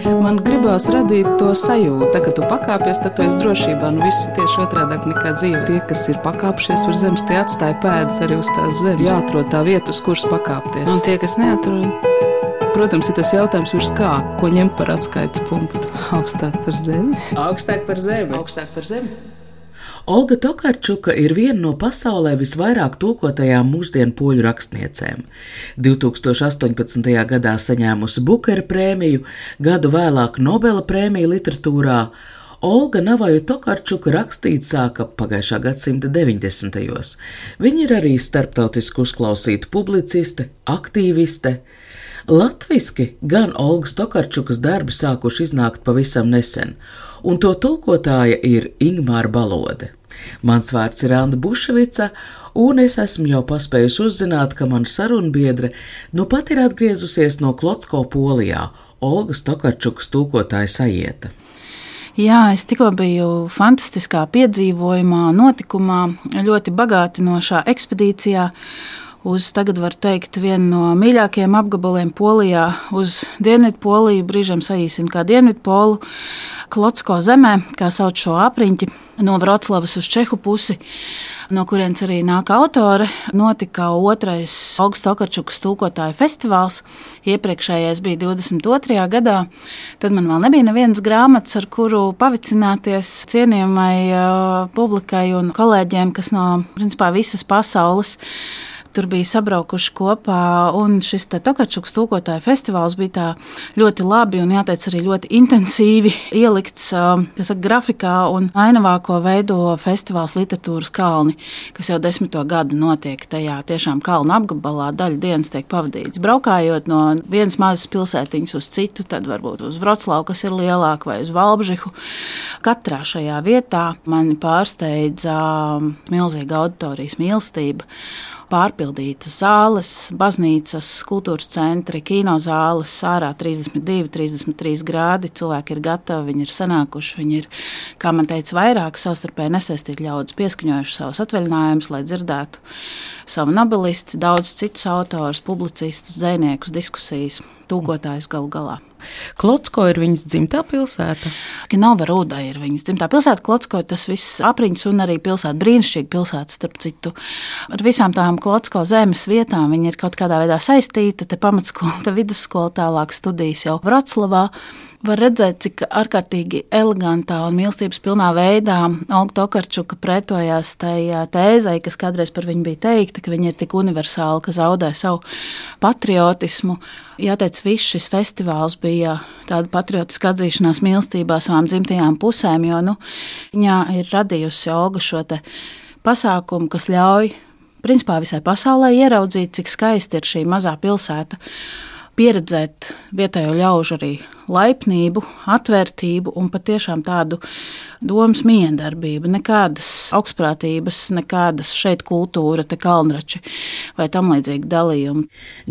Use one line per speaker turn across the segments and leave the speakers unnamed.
Man gribās radīt to sajūtu, ka tu pakāpies, tad tu esi drošībā. Viss tieši otrādāk nekā dzīve. Tie, kas ir pakāpšies uz zemes, tie atstāja pēdas arī uz tās zemes. Jāatrod tā vieta, uz kuras pakāpties.
Un tie, kas neatrod?
Protams, ir tas jautājums virs kā, ko ņemt par atskaites punktu.
Augstāk par zemi.
Augstāk par zemi. Augstāk par zemi.
Olga Tokarčuka ir viena no pasaulē visvairāk tulkotajām mūsdienu poļu rakstniecēm. 2018. gadā saņēmusi Bukera prēmiju, gadu vēlāk Nobela prēmiju literatūrā. Olga Navaju Tokarčuka rakstīt sāka pagājušā gadsimta 90. Viņa ir arī starptautiski uzklausīta publiciste, aktīviste. Latviski gan Olgas Tokarčukas darbi sākuši iznākt pavisam nesen, un to tulkotāja ir Ingmāra Balode. Mans vārds ir Anda Buševica, un es esmu jau paspējusi uzzināt, ka mana sarunbiedre nu pat ir atgriezusies no Klocko Polijā, Olgas Tokarčukas tulkotāja sajieta.
Jā, es tikko biju fantastiskā piedzīvojumā, notikumā, ļoti bagātinošā ekspedīcijā uz, tagad var teikt, vienu no mīļākajiem apgabaliem Polijā, uz Dienvidu Poliju, brīžam saīsina kā Dienvidu Polu, Klocko zemē, kā sauc šo apriņķi, no Vroclavas uz Čehu pusi, no kurienes arī nāk autore. Notika 2. Olgas Tokarčukas tulkotāju festivāls. Iepriekšējais bija 22. gadā. Tad man vēl nebija nevienas grāmatas, ar kuru pavicināties cienījamai publikai un kolēģiem, kas no principā visas pasaules tur bija sabraukuši kopā, un šis Tokarčukas tulkotāju festivāls bija tā ļoti labi un, jāteic, arī ļoti intensīvi ielikts grafikā, un ainavā, ko veido festivāls Literatūras kalni, kas jau 10. gadu notiek tajā tiešām kalnu apgabalā, daļa dienas tiek pavadīts. Braukājot no vienas mazas pilsētiņas uz citu, tad varbūt uz Vroclavu, kas ir lielāka, vai uz Valbžihu. Katrā šajā vietā mani pārsteidza milzīga auditorijas mīlestība. Pārpildītas zāles, baznīcas, kultūras centri, kinozāles, ārā 32, 33 grādi. Cilvēki ir gatavi, viņi ir sanākuši, viņi ir, kā man teica, vairāk savstarpēji nesaistīti ļaudis pieskaņojuši savus atvaļinājumus, lai dzirdētu savu nobelisti, daudz citus autors, publicistus, dzejniekus, diskusijas, tulkotājus galu galā.
Klocko ir viņas dzimtā pilsēta?
Nova Ruda ir viņas dzimtā pilsēta. Klocko tas viss apriņķis un arī pilsēta, brīnišķīga pilsēta, starp citu. Ar visām tām Klocko zemes vietām viņi ir kaut kādā veidā saistīta. Te pamatskola, te vidusskola, tālāk studijas jau Vroclavā. Var redzēt, cik ārkārtīgi elegantā un mīlestības pilnā veidā Olga Tokarčuka pretojās tai tēzei, kas kādreiz par viņu bija teikta, ka viņa ir tik universāla, ka zaudē savu patriotismu. Jāteic, viss šis festivāls bija tāda patriotiska atzīšanās mīlestībā savām dzimtajām pusēm, jo viņā ir radījusi Olga šo te pasākumu, kas ļauj principā visai pasaulē ieraudzīt, cik skaisti ir šī mazā pilsēta, pieredzēt vietējo ļaužu arī laipnību, atvērtību un patiešām tādu domas miedarbību. Nekādas augstprātības, nekādas šeit kultūra, te kalnrači vai tam līdzīgi dalījumi.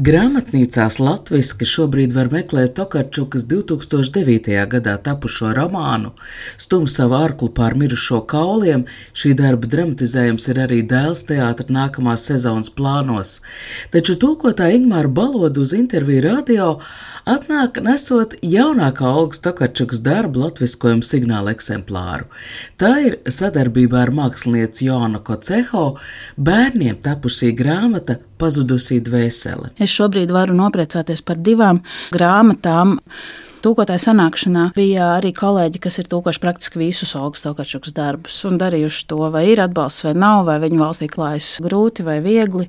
Grāmatnīcās latviski šobrīd var meklēt Tokarčukas 2009. gadā tapušo romānu Stum savu arklu pār mirušo kauliem. Šī darba dramatizējums ir arī Dēls teātra nākamās sezonas plānos. Taču tulkotāja Ingmāra Balode uz interviju radio atnāk nesot jaunākā Olgas Tokarčukas darba latviskojuma signāla eksemplāru. Tā ir sadarbībā ar mākslinieci Joanu Koceho bērniem tapusī grāmata Pazudusī dvēsele.
Es šobrīd varu nopriecāties par 2 grāmatām. Tulkotāja sanākšanā bija arī kolēģi, kas ir tulkojuši praktiski visus Olgas Tokarčukas darbus un darījuši to, vai ir atbalsts vai nav, vai viņu valstī klājas grūti vai viegli.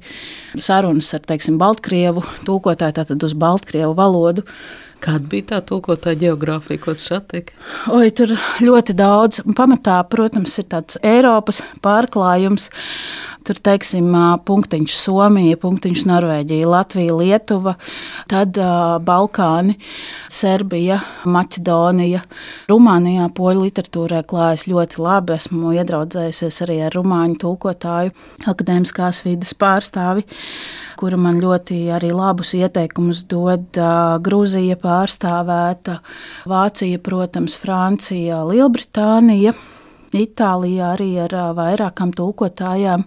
Sarunas ar, teiksim, Baltkrievu tulkotāju, tātad uz Baltkrievu valodu.
Kāda bija tā tulkotāja geogrāfija, ko tas attiek?
Tur ļoti daudz. Pamatā, protams, ir tāds Eiropas pārklājums. Tur, teiksim, punktiņš Somija, punktiņš Norvēģija, Latvija, Lietuva, tad Balkāni, Serbija, Maķedonija. Rumānijā poļu literatūrā klājas ļoti labi. Esmu iedraudzējusies arī ar rumāņu tulkotāju, akadēmiskās vides pārstāvi, kura man ļoti arī labus ieteikumus dod. Grūzija pārstāvēta, Vācija, protams, Francija, Lielbritānija, Itālijā arī ar vairākām tulkotājām.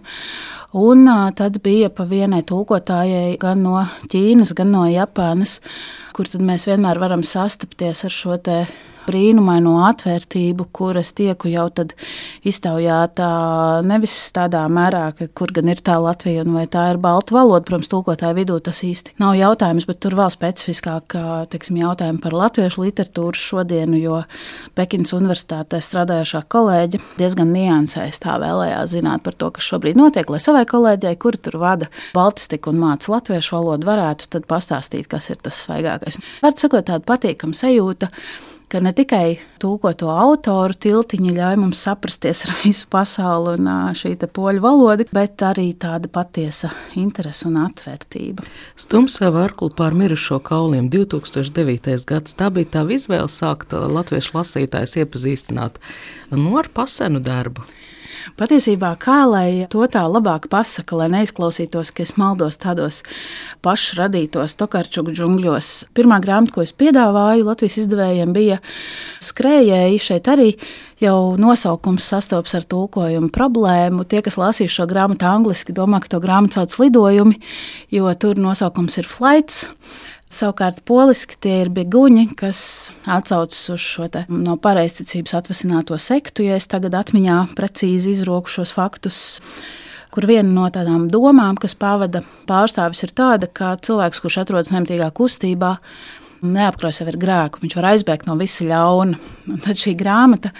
Un tad bija pa vienai tulkotājai gan no Ķīnas, gan no Japānas, kur tad mēs vienmēr varam sastapties ar šo te brīnumaino atvērtību, kur es tieku jau tad iztaujātā nevis tādā mērā, ka kur gan ir tā Latvija un vai tā ir baltu valoda. Protams, tulkotāju vidū tas īsti nav jautājums, bet tur vēl specifiskāk, teiksim, jautājumi par latviešu literatūru šodienu, jo Pekinas universitātē strādājošā kolēģe diezgan niansēs tā vēlējās zināt par to, kas šobrīd notiek, lai savai kolēģei, kuri tur vada baltistiku un māca latviešu valodu, varētu tad pastāstīt, kas ir tas svaigākais. Var sakot, tāda patīkama sajūta, ka ne tikai tulkoto autoru tiltiņi ļauj mums saprasties ar visu pasauli un šī te poļu valoda, bet arī tāda patiesa interese un atvērtība.
Stumsa Varklu pār mirušo kauliem 2009. gads. Tā bija tā izvēle sākt latviešu lasītājs iepazīstināt ar pasenu darbu.
Patiesībā, kā lai to tā labāk pasaka, lai neizklausītos, ka es maldos tādos pašradītos Tokarčuku džungļos. Pirmā grāmata, ko es piedāvāju Latvijas izdevējiem, bija Skrējēji. Šeit arī jau nosaukums sastopas ar tulkojumu problēmu. Tie, kas lasīs šo grāmatu angliski, domā, ka to grāmatu sauc lidojumi, jo tur nosaukums ir flights. Savukārt poliski tie ir beguņi, kas atsaucas uz šo te no pareizticības atvasināto sektu, ja es tagad atmiņā precīzi izroku šos faktus, kur viena no tādām domām, kas pavada pārstāvis, ir tāda, ka cilvēks, kurš atrodas nemitīgā kustībā, neapkrauj sevi ar grēku, viņš var aizbēgt no visa ļauna. Un tad šī grāmata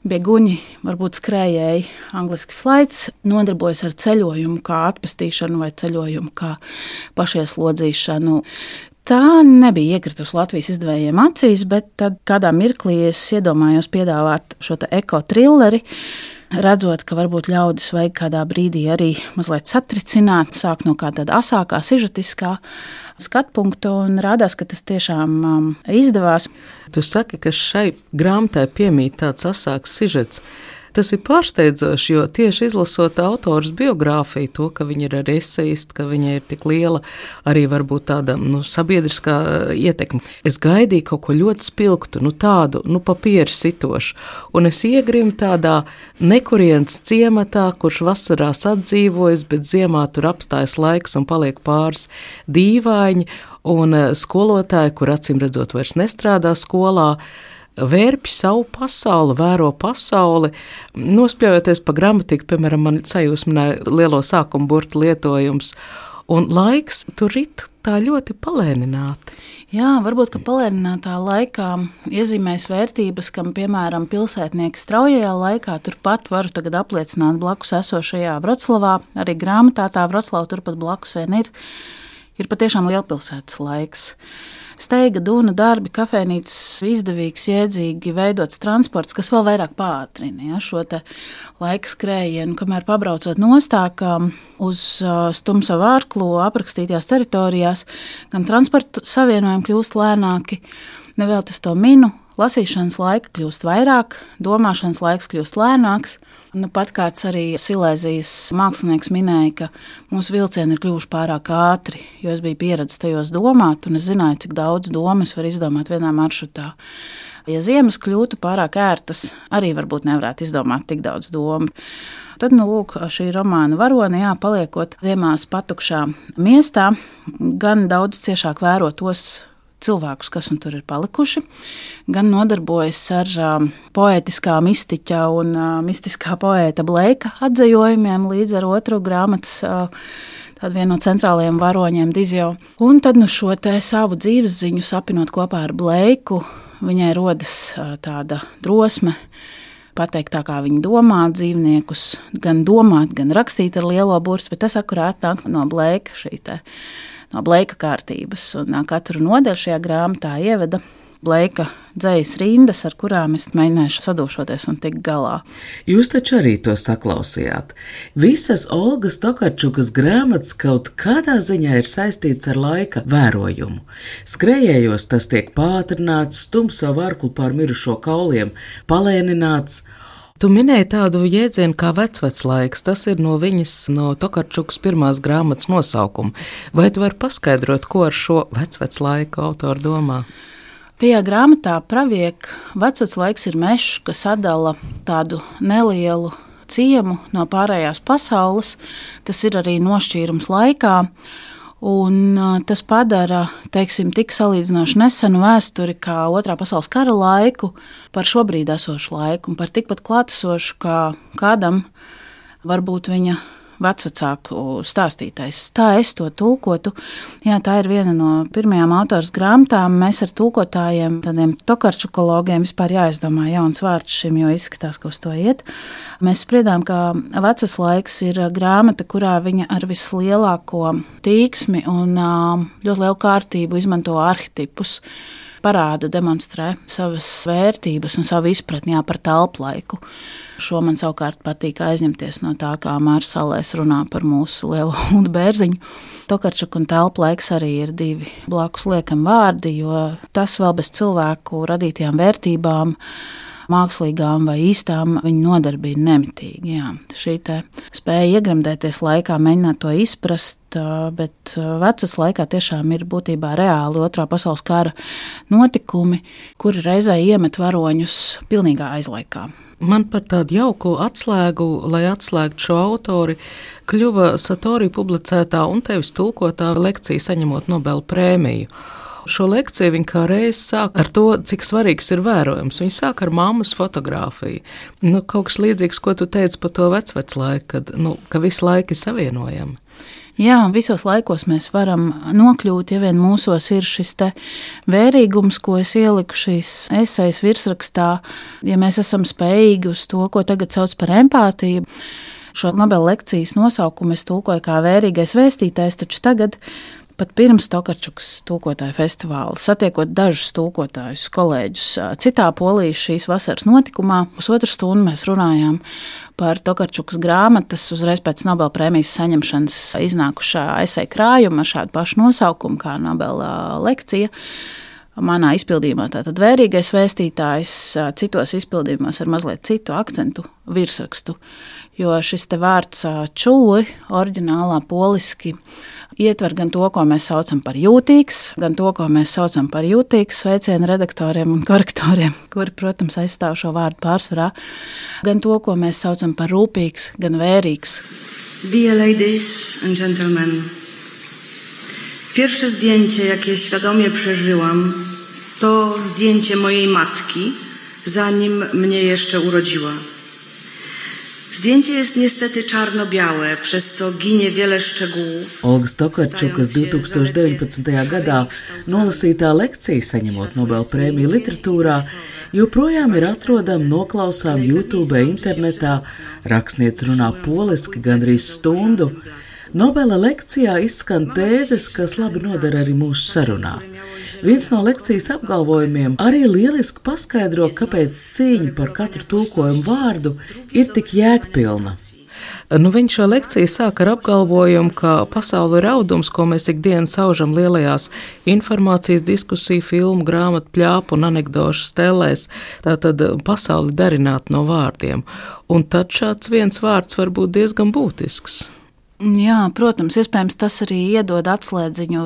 Beguņi, varbūt skrējēji, angliski flights, nodarbojas ar ceļojumu kā atpestīšanu vai ceļojumu kā pašieslodzīšanu. Tā nebija iekritusi Latvijas izdevējiem acīs, bet tad kādā mirklī es iedomājos piedāvāt šo te eko-trilleri, redzot, ka varbūt ļaudis vajag kādā brīdī arī mazliet satricināt, sāk no kā tāda asākā, sižetiskā skatpunkta, un rādās, ka tas tiešām izdevās.
Tu saki, ka šai grāmatai piemīt tāds asāks sižets. Tas ir pārsteidzoši, jo tieši izlasot autors biogrāfiju, to, ka viņa ir arī esejisti, ka viņa ir tik liela, arī varbūt tāda sabiedriskā ietekme. Es gaidīju kaut ko ļoti spilgtu, tādu, papieru sitošu, un es iegrimu tādā nekurienes ciematā, kurš vasarās atdzīvojas, bet ziemā tur apstājas laiks un paliek pāris dīvaini, un skolotāji, kur acīm redzot vairs nestrādā skolā, vērpj savu pasauli, vēro pasauli, nospļaujoties pa gramatiku, piemēram, man sajūsmināja lielo sākumu burtu lietojums, un laiks tur rit tā ļoti palēnināti.
Jā, varbūt, ka palēninātā laikā iezīmēs vērtības, kam, piemēram, pilsētnieki straujajā laikā, turpat varu tagad apliecināt blakus esošajā Vroclavā, arī grāmatā tā Vroclava turpat blakus vien ir patiešām lielpilsētas laiks. Steiga, dūna, darbi, kafejnīcas, izdevīgs, jēdzīgi veidots transports, kas vēl vairāk pātrina šo te laika skrējienu, kamēr pabraucot nostākā uz Stumsa Vārklu aprakstītajās teritorijās, gan transporta savienojumi kļūst lēnāki, nevēl tas to minu, lasīšanas laika kļūst vairāk, domāšanas laiks kļūst lēnāks. Pat kāds arī Silēzijas mākslinieks minēja, ka mūsu vilcieni ir kļuvuši pārāk ātri, jo es biju pieredzis tajos domāt, un es zināju, cik daudz domas var izdomāt vienā maršrutā. Ja ziemas kļūtu pārāk ērtas, arī varbūt nevarētu izdomāt tik daudz domu. Tad, lūk, šī romāna varone, paliekot ziemās patukšā miestā, gan daudz ciešāk vēro tos cilvēkus, kas un tur ir palikuši, gan nodarbojas ar poētiskā mistiķa un mistiskā poēta Bleika atzējojumiem līdz ar otru grāmatas tādu vienu no centrālajiem varoņiem Dizio. Un tad šo te savu dzīves ziņu sapinot kopā ar Bleiku, viņai rodas tāda drosme pateikt tā, kā viņi domā dzīvniekus, gan domāt, gan rakstīt ar lielo burtu, bet tas akurāt nāk no Bleika no Bleika kārtības, un katru nodaļu šajā grāmatā ieveda Bleika dzejas rindas, ar kurām es mēģināšu sadūšoties un tikt galā.
Jūs taču arī to saklausījāt. Visas Olgas Tokarčukas grāmatas kaut kādā ziņā ir saistīts ar laika vērojumu. Skrējējos tas tiek pātrināts, Stumsa Vārklu pār mirušo kauliem palēnināts. Tu minēji tādu jēdzienu kā vecveclaiks, tas ir no Tokarčukas pirmās grāmatas nosaukuma. Vai tu vari paskaidrot, ko ar šo vecveclaiku autori domā?
Tajā grāmatā praviek vecveclaiks ir mežs, kas atdala tādu nelielu ciemu no pārējās pasaules. Tas ir arī nošķīrums laikā. Un tas padara, teiksim, tik salīdzinoši nesenu vēsturi kā Otrā pasaules kara laiku par šobrīd esošu laiku un par tikpat klātesošu kā kādam varbūt viņa vecvecāku stāstītais. Tā es to tulkotu. Jā, tā ir viena no pirmajām autoras grāmatām. Mēs ar tulkotājiem, tādiem tokarčukologiem, vispār jāizdomā jauns vārds šim, jo izskatās, ka uz to iet. Mēs spriedām, ka Vecas laiks ir grāmata, kurā viņa ar vislielāko tīksmi un ļoti lielu kārtību izmanto arhetipus, parāda, demonstrē savas vērtības un savu izpratni par telplaiku. Šo man savukārt patīk aizņemties no tā, kā Mārs Salēs runā par mūsu lielo Uldu Bērziņu. Tokarčuk un telplaiks arī ir divi blakus liekami vārdi, jo tas vēl bez cilvēku radītajām vērtībām, mākslīgām vai īstām, viņa nodarbina nemitīgi. Jā. Šī spēja iegremdēties laikā, mēģināt to izprast, bet Vecas laikā tiešām ir būtībā reāli Otrā pasaules kara notikumi, kuri reizē iemet varoņus pilnīgā aizlaikā.
Man par tādu jauku atslēgu, lai atslēgtu šo autori, kļuva Satori publicētā un tevis tulkotā lekcija saņemot Nobela prēmiju. Šo lekciju viņa kā reiz sāk ar to, cik svarīgs ir vērojums. Viņa sāk ar mammas fotografiju. Kaut kas līdzīgs, ko tu teici par to vecvec laiku, ka visi laiki ir savienojami.
Jā, visos laikos mēs varam nokļūt, ja vien mūsos ir šis te vērīgums, ko es ieliku šīs esejas virsrakstā, ja mēs esam spējīgi uz to, ko tagad sauc par empātiju. Šo Nobela lekcijas nosaukumu es tulkoju kā vērīgais vēstītājs, taču tagad pat pirms Tokarčukas tulkotāju festivāla, satiekot dažus tulkotājus, kolēģus citā Polijas šīs vasaras notikumā, pusotru stundu mēs runājām par Tokarčukas grāmatas uzreiz pēc Nobela prēmijas saņemšanas iznākušā eseja krājuma ar šādu pašu nosaukumu kā Nobela lekcija. Manā izpildījumā tātad vērīgais vēstītājs, citos izpildījumos ar mazliet citu akcentu virsrakstu, jo šis te vārds čūli oriģinālā poliski ietver gan to, ko mēs saucam par jūtīgs, gan to, ko mēs saucam par jūtīgs sveicienu redaktoriem un korektoriem, kuri, protams, aizstāv šo vārdu pārsvarā, gan to, ko mēs saucam par rūpīgs, gan vērīgs.
Dear ladies and gentlemen, pierwsze zdjęcie, jakie świadomie przeżyłam, to zdjęcie mojej matki, zanim mnie jeszcze urodziła. Zdjęcie jest niestety czarno-białe, przez co ginie wiele szczegółów.
Olgas Tokarčukas 2019. gadā nolasītā lekcija saņemot Nobela prēmiju literatūrā joprojām ir atrodama noklausām YouTube internetā, rakstniece runā poliski gandrīz stundu. Nobela lekcijā izskan tēzes, kas labi noder arī mūsu sarunā. Viens no lekcijas apgalvojumiem arī lieliski paskaidro, kāpēc cīņa par katru tulkojumu vārdu ir tik jēgpilna. Viņš šo lekciju sāk ar apgalvojumu, ka pasaule ir audums, ko mēs ikdienas aužam lielajās informācijas, diskusiju, filmu, grāmatu, pļāpu un anekdošu stelēs. Tātad pasauli darināt no vārdiem. Un tad šāds viens vārds var būt diezgan būtisks.
Jā, protams, iespējams tas arī iedod atslēdziņu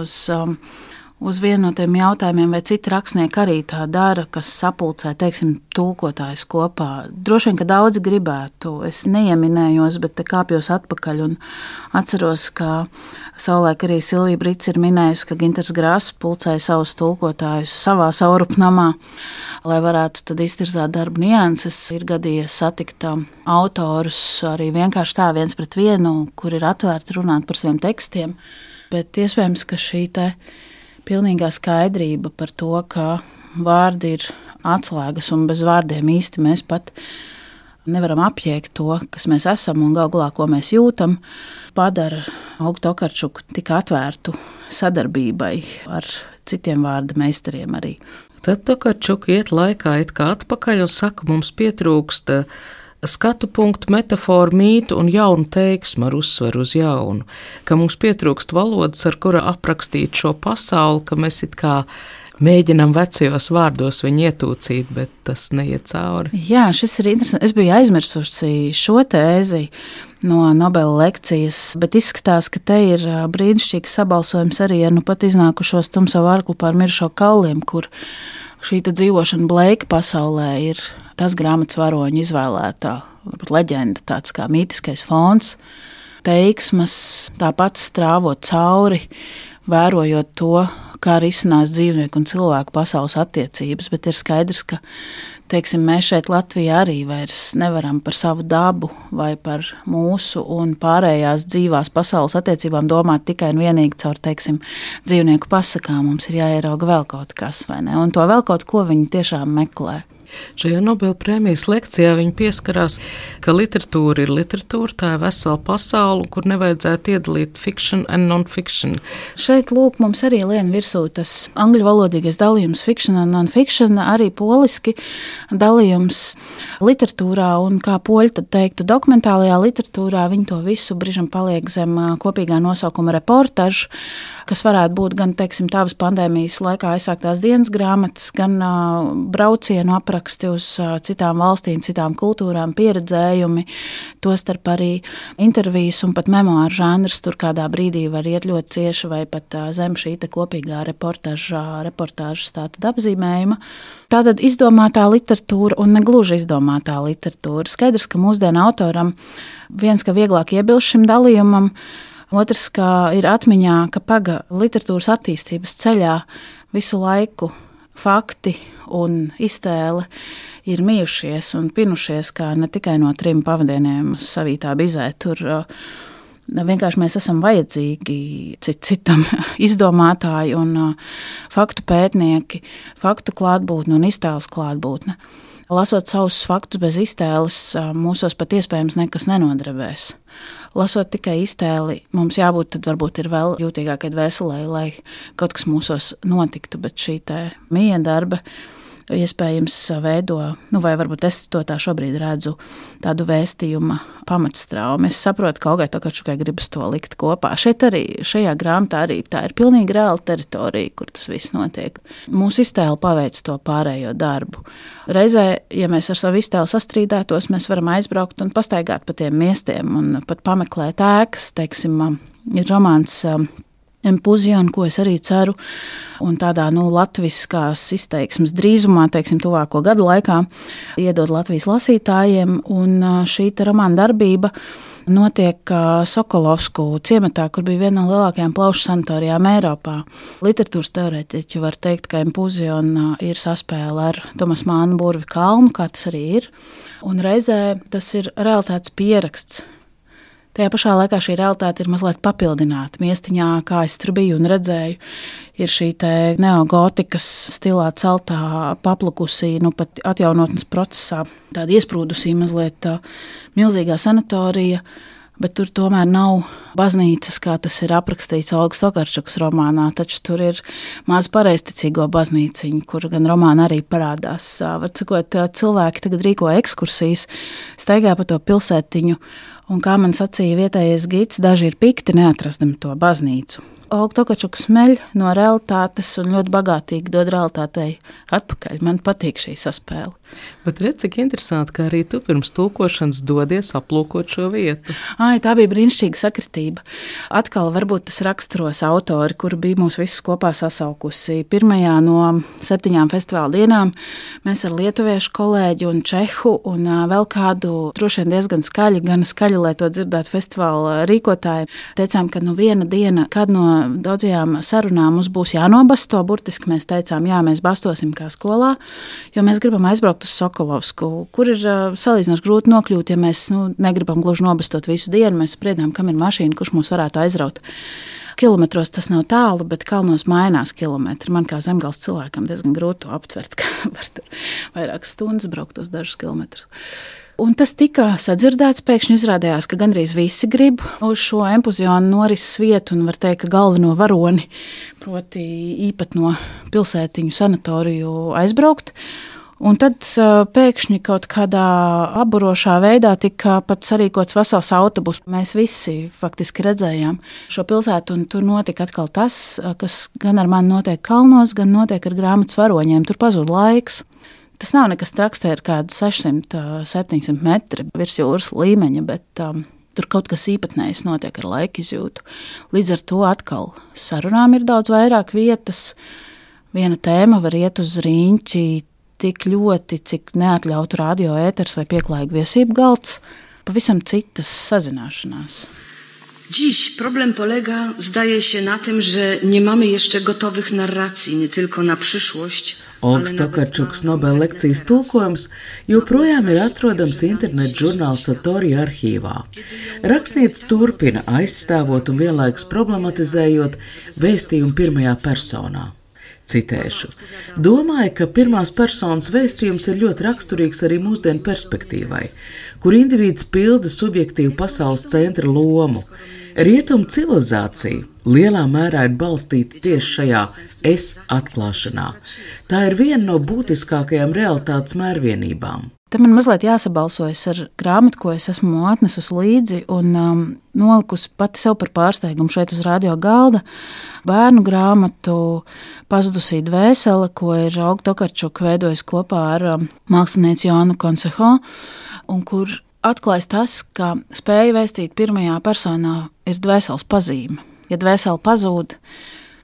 uz vienu no tiem jautājumiem, vai citi rakstnieki arī tā dara, kas sapulcē, teiksim, tulkotājus kopā. Droši vien, ka daudzi gribētu, es neieminējos, bet te kāpjos atpakaļ un atceros, ka savulaik arī Silvija Brits ir minējusi, ka Ginters Grāss pulcēja savus tulkotājus savā saurupnamā, lai varētu tad iztirzāt darbu nianses. Ir gadījies satikt autorus arī vienkārši tā viens pret vienu, kur ir atvērti runāt par saviem tekstiem, bet iespējams, ka šī te pilnīgā skaidrība par to, ka vārdi ir atslēgas un bez vārdiem īsti mēs pat nevaram apjēgt to, kas mēs esam un galu galā, ko mēs jūtam, padara Olgu Tokarčuku tik atvērtu sadarbībai ar citiem vārda meistariem arī.
Tad Tokarčuka iet laikā it kā atpakaļ un saka, mums pietrūkst skatu punktu, metaforu, mītu un jaunu teiksmu ar uzsveru uz jaunu, ka mums pietrūkst valodas, ar kura aprakstīt šo pasauli, ka mēs it kā mēģinam vecajos vārdos viņu ietūcīt, bet tas neiet cauri.
Jā, šis ir interesanti. Es biju aizmirsusi šo tēzi no Nobela lekcijas, bet izskatās, ka te ir brīnišķīgs sabalsojums arī ar nu pat iznākušos Tumsavu arklu pār mirušo kauliem, kur šī dzīvošana Bleika pasaulē ir tas grāmatas varoņa izvēlētā, varbūt leģenda, tāds kā mītiskais fons, teiksmas, tāpat strāvot cauri, vērojot to, kā risinās dzīvnieku un cilvēku pasaules attiecības, bet ir skaidrs, ka teiksim, mēs šeit Latvijā arī vairs nevaram par savu dabu vai par mūsu un pārējās dzīvās pasaules attiecībām domāt tikai un vienīgi caur, teiksim, dzīvnieku pasakām. Mums ir jāierauga vēl kaut kas, vai ne? Un to vēl kaut ko viņi tiešām meklē.
Šajā Nobela prēmijas lekcijā viņi pieskarās, ka literatūra ir literatūra, tā ir vesela pasaule, kur nevajadzētu iedalīt fiction and non-fiction.
Šeit, lūk, mums arī lien virsū tas angļu valodīgais dalījums fiction and non-fiction, arī poliski dalījums literatūrā, un kā poļi tad teiktu, dokumentālajā literatūrā viņi to visu brīžam paliek zem kopīgā nosaukuma reportažu, kas varētu būt gan, teiksim, tavas pandēmijas laikā aizsāktās dienas grāmatas, gan braucienu apraksti uz citām valstīm, citām kultūrām, pieredzējumi, tostarp arī intervijas un pat memoāru žanrs tur kādā brīdī var iet ļoti cieši vai pat zem šī kopīgā reportāžas tātad apzīmējuma. Tātad izdomātā literatūra un negluži izdomātā literatūra. Skaidrs, ka mūsdienu autoram viens, ka vieglāk iebilst šim dalījumam, otrs, ka ir atmiņā, ka paga literatūras attīstības ceļā visu laiku fakti un iztēle ir mījušies un pinušies, kā ne tikai no 3 pavadieniem savītā bizē. Tur vienkārši mēs esam vajadzīgi citam izdomātāji un faktu pētnieki, faktu klātbūtne un iztēles klātbūtne. Lasot savus faktus bez iztēles, mūsos pat iespējams nekas nenodarbēs. Lasot tikai iztēli, mums jābūt tad varbūt ir vēl jūtīgākai dvēselē, lai kaut kas mūsos notiktu, bet šī miedarba iespējams veido, vai varbūt es to tā šobrīd redzu, tādu vēstījuma pamatstraumu. Es saprotu, ka Olgai Tokarčukai gribas to likt kopā. Šajā grāmatā arī tā ir pilnīgi reāla teritorija, kur tas viss notiek. Mūsu iztēle paveic to pārējo darbu. Reizē, ja mēs ar savu iztēli sastrīdētos, mēs varam aizbraukt un pastaigāt pa tiem miestiem un pat pameklēt ēkas, teiksim, ir romāns Empuzion, ko es arī ceru, un tādā latviskās izteiksmes drīzumā, teiksim, tuvāko gadu laikā, iedod Latvijas lasītājiem, un šī romāna darbība notiek Sokolovsku ciematā, kur bija viena no lielākajām plaušu sanatorijām Eiropā. Literatūras teorētiķi var teikt, ka Empuzion ir saspēle ar Tomas Mānu Burvi kalnu, kā tas arī ir, un reizē tas ir realitātes pieraksts. Tajā pašā laikā šī realitāte ir mazliet papildināta. Miestiņā, kā es tur biju un redzēju, ir šī neogotikas stilā celtā paplukusī, pat atjaunotnes procesā, tāda iesprūdusī mazliet milzīgā sanatorija, bet tur tomēr nav baznīcas, kā tas ir aprakstīts Olgas Tokarčukas romānā, taču tur ir maza pareizticīgo baznīciņa, kur gan romāna arī parādās. Var sakot, cilvēki tagad rīko ekskursijas, staigā pa to pilsētiņu, un kā man sacīja vietējais gids, daži ir pikti neatrastami to baznīcu. Olga Tokarčuka smeļ no realitātes un ļoti bagātīgi dod realitātei atpakaļ. Man patīk šī saspēle.
Bet redz, cik interesanti, ka arī tu pirms tulkošanas dodies aplūkot šo vietu.
Tā bija brīnišķīga sakritība. Atkal varbūt tas raksturos autori, kuri bija mūs visus kopā sasaukusi. Pirmajā no 7 festivāla dienām mēs ar lietuviešu kolēģi un čehu un vēl kādu droši vien diezgan skaļi, gan skaļi, lai to dzirdētu festivāla rīkotāji, teicām, ka viena diena, kad no daudzajām sarunām mums būs jānobasto, burtiski mēs teicām, jā, mēs bastosim kā skolā, jo mēs gribam aizbraukt uz Sokolovsku, kur ir salīdzinoši grūti nokļūt, ja mēs negribam gluži nobastot visu dienu, mēs spriedām, kam ir mašīna, kurš mūs varētu aizraut. Kilometros tas nav tālu, bet kalnos mainās kilometri. Man kā zemgals cilvēkam diezgan grūti to aptvert, ka var tur vairākas stundas braukt uz dažus kilometrus. Un tas tika sadzirdēts, pēkšņi izrādījās, ka gandrīz visi grib uz šo Empuzionu norises vietu un var teikt, ka galveno varoni, proti īpatno pilsētiņu sanatoriju aizbraukt. Un tad pēkšņi kaut kādā aburošā veidā tika pat sarīkots vesels autobus. Mēs visi faktiski redzējām šo pilsētu, un tur notika atkal tas, kas gan ar mani notiek kalnos, gan notiek ar grāmatas varoņiem. Tur pazūd laiks. Tas nav nekas traks, te ir kādi 600-700 metri virs jūras līmeņa, bet tur kaut kas īpatnējs notiek ar laika izjūtu. Līdz ar to atkal sarunām ir daudz vairāk vietas. viena tēma var iet uz rīņķi tik ļoti, cik neatļautu radio ēters vai pieklājīgu viesību galds, pavisam citas sazināšanās.
Dziś problem polega, zdaje się, na tym, że nie mamy jeszcze gotowych narracji, nie tylko na przyszłość.
Olgas Tokarčukas Nobela lekcijas tulkojums joprojām ir atrodams internet žurnāla Satori arhīvā. Rakstniece turpina aizstāvot un vienlaikus problematizējot vēstījumu pirmajā personā. Citēšu. Domāju, ka pirmās personas vēstījums ir ļoti raksturīgs arī mūsdienu perspektīvai, kur individs pilda subjektīvu pasaules centra lomu. Rietumu civilizācija lielā mērā ir balstīta tieši šajā es atklāšanā. Tā ir viena no būtiskākajām realitātes mērvienībām.
Te man mazliet jāsabalsojas ar grāmatu, ko es esmu atnesus līdzi un nolikusi pati sev par pārsteigumu šeit uz radio galda. Bērnu grāmatu Pazudusī dvēsele, ko ir Olga Tokarčuka veidojis kopā ar mākslinieci Joannu Konseho, un kur atklājas tas, ka spēja vēstīt pirmajā personā ir dvēseles pazīme. Ja dvēsele pazūd,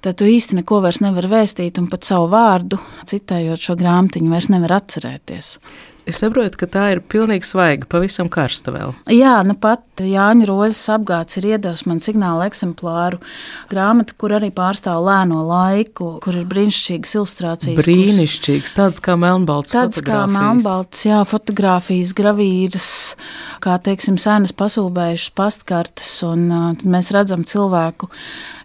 tad tu īsti neko vairs nevar vēstīt un pat savu vārdu, citējot šo grāmatiņu, vairs nevar atcerēties.
Es saprotu, ka tā ir pilnīgi svaiga, pavisam karsta vēl.
Jā, nu pat Jāņa Rozes apgāds ir iedevis man signāla eksemplāru grāmatu, kur arī pārstāv lēno laiku, kur ir brīnišķīgas ilustrācijas.
Brīnišķīgas, tādas kā melnbalts fotogrāfijas.
Tādas kā melnbalts, jā, fotogrāfijas, gravīras, kā, teiksim, senas pasūbējušas pastkartes, un tad mēs redzam cilvēku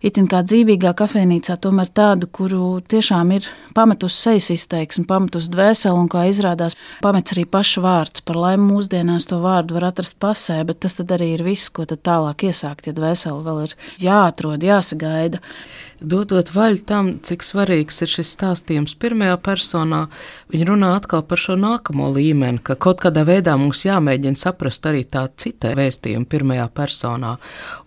itin kā dzīvīgā kafejnīcā, tomēr tādu, kuru tiešām ir pametus sejas izteiksmi, pametus dvēseli, un kā izrādās, pamets arī pašu vārds. Par laimi mūsdienās to vārdu var atrast pasē, bet tas tad arī ir viss, ko tad tālāk iesākt, ja dvēseli vēl ir jāatrod, jāsagaida.
Dodot vaļu tam, cik svarīgs ir šis stāstījums pirmajā personā, viņi runā atkal par šo nākamo līmeni, ka kaut kādā veidā mums jāmēģina saprast arī tā cita vēstījuma pirmajā personā,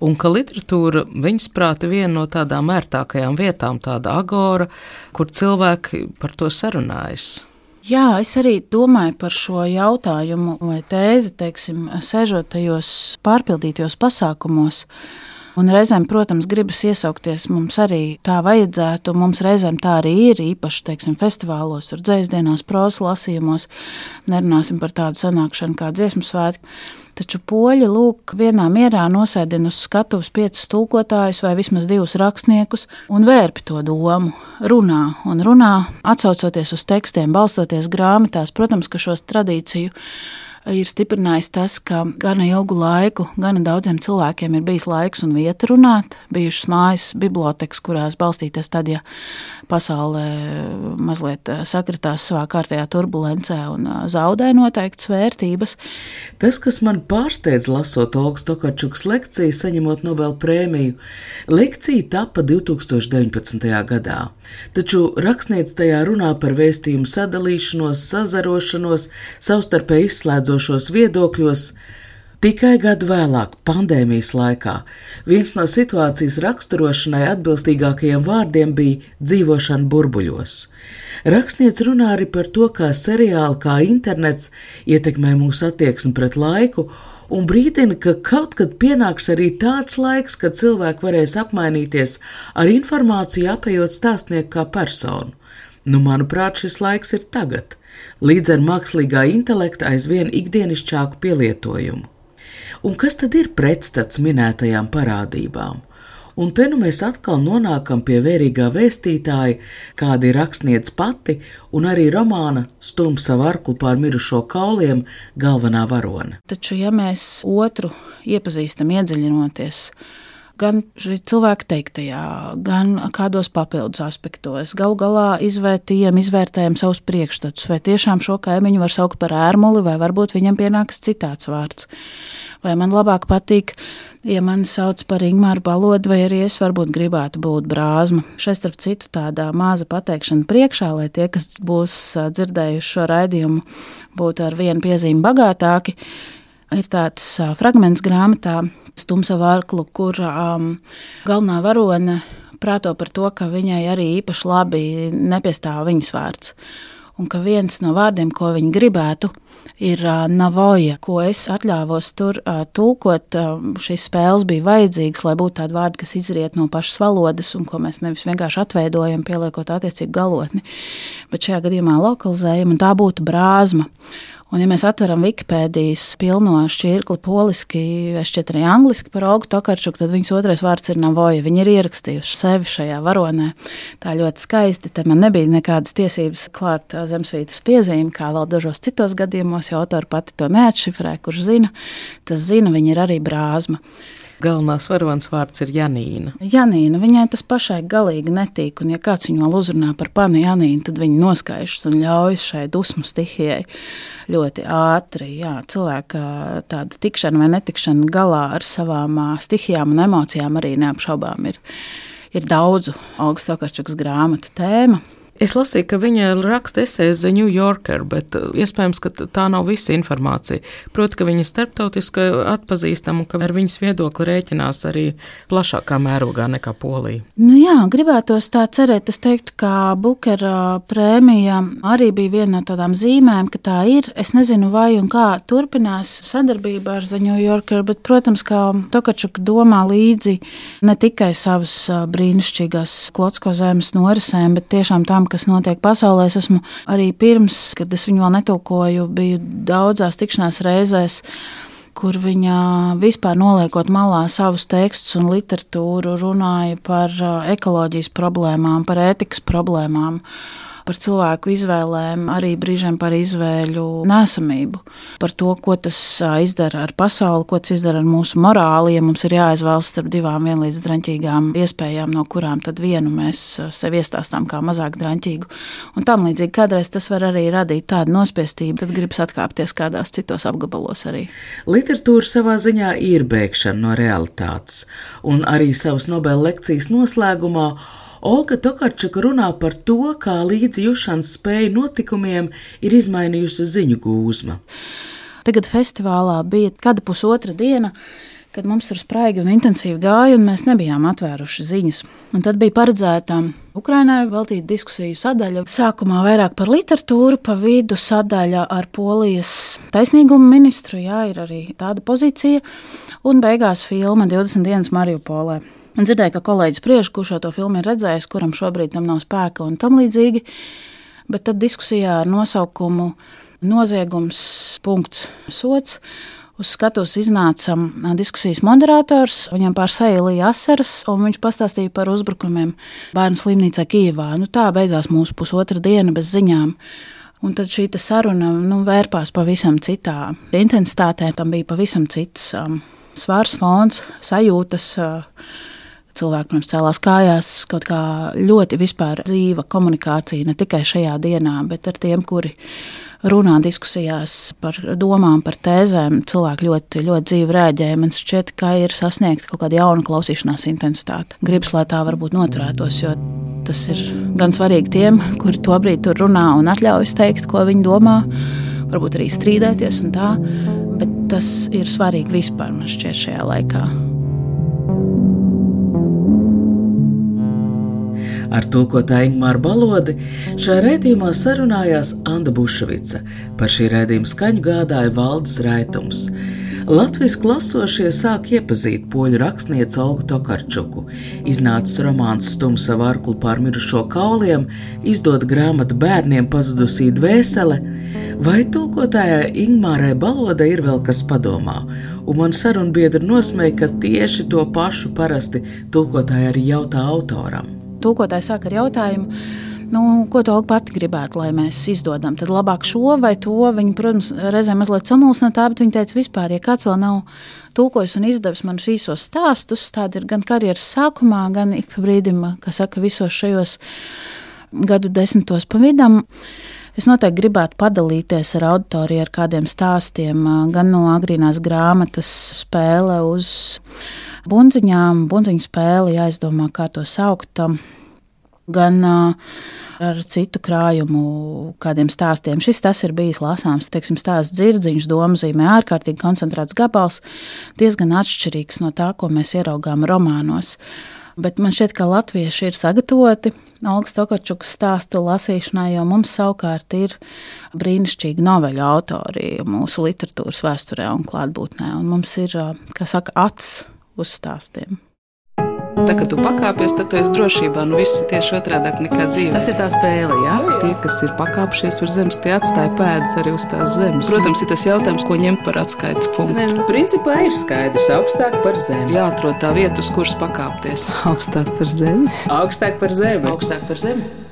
un ka literatūra, viņas prāti, viena no tādām ērtākajām vietām, tāda agora, kur cilvēki par to sarunājas.
Jā, es arī domāju par šo jautājumu vai tēzi, teiksim, sēžot tajos pārpildītajos pasākumos. Un reizēm, protams, gribas iesaukties, mums arī tā vajadzētu, mums reizēm tā arī ir, īpaši, teiksim, festivālos, tur dzejasdienās, prozas lasījumos, nerunāsim par tādu sanākšanu kā dziesmu svētki. Taču poļi, lūk, vienā mierā nosēdina uz skatuves 5 tulkotājus vai vismaz 2 rakstniekus un vērpi to domu, runā, atsaucoties uz tekstiem, balstoties grāmatās. Protams, ka šos tradīciju ir stiprinājis tas, ka gana ilgu laiku, gana daudziem cilvēkiem ir bijis laiks un vieta runāt, bijušas mājas bibliotekas, kurās balstīties tad, ja pasaulē mazliet sakritās savā kārtējā turbulencē un zaudē noteiktas vērtības.
Tas, kas man pārsteidz lasot Olgas Tokarčukas lekciju, saņemot Nobela prēmiju, lekcija tapa 2019. gadā. Taču rakstniece tajā runā par vēstījumu sadalīšanos, sazarošanos, savstarpēji izslēdzošos viedokļos. Tikai gadu vēlāk, pandēmijas laikā, viens no situācijas raksturošanai atbilstīgākajiem vārdiem bija dzīvošana burbuļos. Rakstniece runā arī par to, kā seriāli, kā internets ietekmē mūsu attieksmi pret laiku, un brīdina, ka kaut kad pienāks arī tāds laiks, kad cilvēki varēs apmainīties ar informāciju, apējot stāstnieku kā personu. Manuprāt, šis laiks ir tagad, līdz ar mākslīgā intelekta aizvien ikdienišķāku pielietojumu. Un kas tad ir pretstats minētajām parādībām? Un te mēs atkal nonākam pie vērīgā vēstītāja, kāda ir rakstniece pati, un arī romāna Stum savu arklu pār mirušo kauliem galvenā varone.
Taču, ja mēs otru iepazīstam iedziļinoties, gan cilvēka teiktajā, gan kādos papildus aspektos, galu galā izvērtējam savus priekšstatus, vai tiešām šo kaimiņu var saukt par ērmuli, vai varbūt viņam pienākas citāds vārds. Vai man labāk patīk, ja mani sauc par Ingmāru Balodu, vai arī es varbūt gribētu būt Brāzma. Šeit, starp citu, tāda maza pateikšana priekšā, lai tie, kas būs dzirdējuši šo raidījumu, būtu ar vienu piezīmi bagātāki. Ir tāds fragments grāmatā Stum savu arklu, kur galvenā varone prāto par to, ka viņai arī īpaši labi nepiestāv viņas vārds. un ka viens no vārdiem, ko viņi gribētu, ir navoja, ko es atļāvos tur tulkot. Šīs spēles bija vajadzīgas, lai būtu tādi vārdi, kas izriet no pašas valodas un ko mēs nevis vienkārši atveidojam, pieliekot attiecīgu galotni, bet šajā gadījumā lokalizējam, un tā būtu brāzma. Un, ja mēs atveram Wikipēdijas pilno šķirkli poliski, šķiet arī angliski par Olgu Tokarčuku, tad viņas otrais vārds ir navoja. Viņi ir ierakstījuši sevi šajā varonē. Tā ļoti skaisti. Te man nebija nekādas tiesības klāt zemesvītras piezīmi, kā vēl dažos citos gadījumos, jo autori pati to neatšifrē, kurš zina. Tas zina, viņa ir arī brāzma.
Galvenās varonas vārds ir Janīna.
Janīna, viņai tas pašai galīgi netīk, un ja kāds viņu vēl uzrunā par pani Janīnu, tad viņi noskaišas un ļaujas šai dusmu stihijai ļoti ātri. Jā, cilvēka tāda tikšana vai netikšana galā ar savām stihijām un emocijām arī neapšaubām ir daudzu Olgas Tokarčukas grāmatu tēma.
Es lasīju, ka viņa raksta esejas The New Yorker, bet iespējams, ka tā nav visa informācija. Proti, ka viņa starptautiski atpazīstama un ka ar viņas viedokli rēķinās arī plašākā mērogā nekā Polija.
Nu jā, gribētos tā cerēt. Es teiktu, ka Bukera prēmija arī bija viena no tādām zīmēm, ka tā ir. Es nezinu, vai un kā turpinās sadarbība ar The New Yorker, bet, protams, ka Tokarčuka domā līdzi ne tikai savas brīnišķīgās Klocko zemes norisēm, bet tiešām tam, kas notiek pasaulē. Es esmu arī pirms, kad es viņu vēl netulkoju, biju daudzās tikšanās reizēs, kur viņa vispār noliekot malā savus tekstus un literatūru runāja par ekoloģijas problēmām, par ētikas problēmām, par cilvēku izvēlēm, arī brīžiem par izvēļu nesamību, par to, ko tas izdara ar pasauli, ko tas izdara ar mūsu morāli, ja mums ir jāizvēlas starp divām vienlīdz draņķīgām iespējām, no kurām tad vienu mēs sev iestāstām kā mazāk draņķīgu. Un tam līdzīgi kādreiz tas var arī radīt tādu nospiestību, tad gribas atkāpties kādās citos apgabalos arī.
Literatūra savā ziņā ir bēgšana no realitātes, un arī savas Nobela lekcijas noslēgumā Olga Tokarčuka runā par to, kā līdzjūšanas spēja notikumiem ir izmainījusi ziņu gūzma.
Tagad festivālā bija kāda pusotra diena, kad mums tur spraigi un intensīvi gāja, un mēs nebijām atvēruši ziņas. Un tad bija paredzēta Ukrainai veltīta diskusiju sadaļa. Sākumā vairāk par literatūru, pa vidu sadaļa ar Polijas taisnīguma ministru, jā, ir arī tāda pozīcija, un beigās filma 20 dienas Mariupolē. Un dzirdēju, ka kolēģis spriež, kurš to filmu ir redzējis, kuram šobrīd tam nav spēka un tam līdzīgi. Bet tad diskusijā ar nosaukumu Noziegums, punkts, sots. Uz skatuves iznāca diskusijas moderators, viņam pār seju lija asaras, un viņš pastāstīja par uzbrukumiem bērnu slimnīcā Kijevā. Tā beidzās mūsu pusotra diena bez ziņām. Un tad šī saruna vērpās pavisam citā intensitātē, tam bija pavisam cits svars, fons, sajūtas. Cilvēki, protams, cēlās kājās, kaut kā ļoti vispār dzīva komunikācija, ne tikai šajā dienā, bet ar tiem, kuri runā diskusijās par domām, par tēzēm. Cilvēki ļoti, ļoti dzīvi rēģēja. Man šķiet, ka ir sasniegta kaut kāda jauna klausīšanās intensitāte. Gribas, lai tā varbūt noturētos, jo tas ir gan svarīgi tiem, kuri tobrīd tur runā un atļaujas teikt, ko viņi domā, varbūt arī strīdēties un tā, bet tas ir svarīgi vispār, man šķiet, šajā laikā.
Ar tulkotāju Ingmāru Balodi šajā raidījumā sarunājās Anda Buševica. Par šī raidījuma skaņu gādāja Valdis Raitums. Latviski lasošie sāk iepazīt poļu rakstnieci Olgu Tokarčuku. Iznācis romāns Stum savu arklu pār mirušo kauliem, izdod grāmatu Bērniem pazudusī dvēsele, vai tulkotājai Ingmārai Balodai ir vēl kas padomā. Un man sarunbiedri nosmēja, ka tieši to pašu parasti tulkotāji arī jautā autoram.
Tulkotāji sāk ar jautājumu, ko tu Olga pati gribētu, lai mēs izdodam. Tad labāk šo vai to. Viņa, protams, reizēm mazliet samulsina tā, bet viņa teica vispār, ja kāds vēl nav tulkojis un izdevis manus īsos stāstus, tādi ir gan karjeras sākumā, gan ik pa brīdim, kā saka, visos šajos gadu desmitos pa vidam. Es noteikti gribētu padalīties ar auditoriju ar kādiem stāstiem, gan no agrīnās grāmatas Spēle uz bundziņām, bundziņu spēli, jāizdomā, kā to saukt, gan ar citu krājumu kādiem stāstiem. Tas ir bijis lasāms, teiksim, stāsts Dzirdziņš, domzīmē, ārkārtīgi koncentrēts gabals, diezgan atšķirīgs no tā, ko mēs ieraugām romānos. Bet man šķiet, ka latvieši ir sagatavoti Olgas Tokarčukas stāstu lasīšanai, jo mums savukārt ir brīnišķīgi noveļu autori mūsu literatūras vēsturē un klātbūtnē. Un mums ir, kā saka, acs uz stāstiem.
Tā, kad tu pakāpies, tad tu esi drošībā, viss ir tieši otrādāk nekā dzīve.
Tas ir tā spēle, jā?
Tie, kas ir pakāpšies virs zemes, tie atstāja pēdas arī uz tās zemes. Protams, ir tas jautājums, ko ņemt par atskaites punktu.
Principā ir skaidrs, augstāk par zemi.
Jāatrod tā vieta, uz kuras pakāpties.
Augstāk par zemi.
Augstāk par zemi.
Augstāk par zemi.